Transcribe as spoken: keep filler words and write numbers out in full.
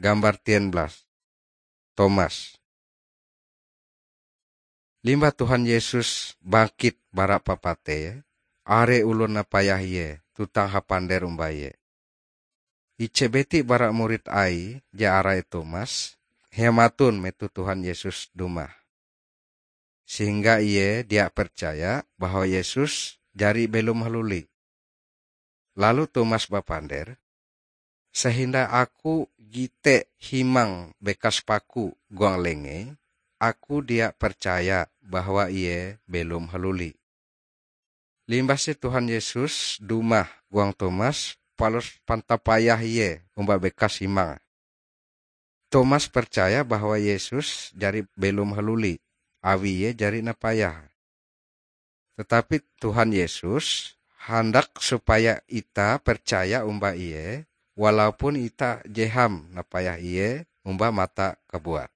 Gambar tiga belas. Tomas. Limbah Tuhan Yesus bangkit bara papateie, are oloh napayah Ie tuntang hapander omba Ie. Ije biti bara murid Aie je arai Tomas, hematon metoh Tuhan Yesus dumah. Sehingga ie dia percaya bahwa Yesus jari belom haluli. Lalu Tomas bapander, "Sehindai aku gite himang bekas paku huang lengee, aku dia percaya bahwa Ie belom haluli." Limbah te Tuhan Yesus dumah huang Tomas, palus pantapayah Ie omba bekas himang. Tomas percaya bahwa Yesus jari belom haluli, awi Ie jari napayah. Tetapi Tuhan Yesus handak supaya itah percaya omba Ie, walaupun itah je ham napayah Ie omba mata kabuat.